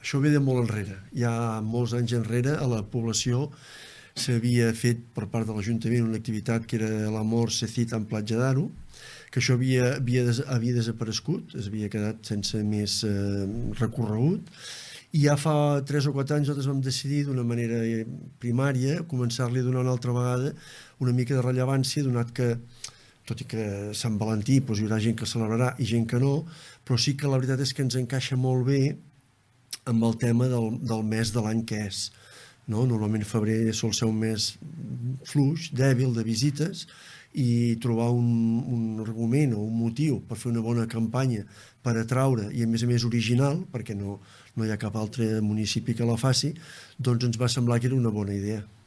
Això ve de molt enrere. Ja molts anys enrere a la població s'havia fet per part de l'Ajuntament una activitat que era l'Amor se cita en Platja d'Aro, que això havia desaparegut, es havia quedat sense més recorregut, i ja fa 3 o 4 anys nosaltres vam decidir d'una manera primària començar-li a donar una altra vegada una mica de rellevància, donat que tot i que Sant Valentí doncs, hi haurà gent que celebrarà i gent que no, però sí que la veritat és que ens encaixa molt bé amb el tema del mes de l'any que és. No? Normalment febrer sol ser un mes fluix, dèbil, de visites, i trobar un argument o un motiu per fer una bona campanya per atraure, i a més original, perquè no hi ha cap altre municipi que la faci, doncs ens va semblar que era una bona idea.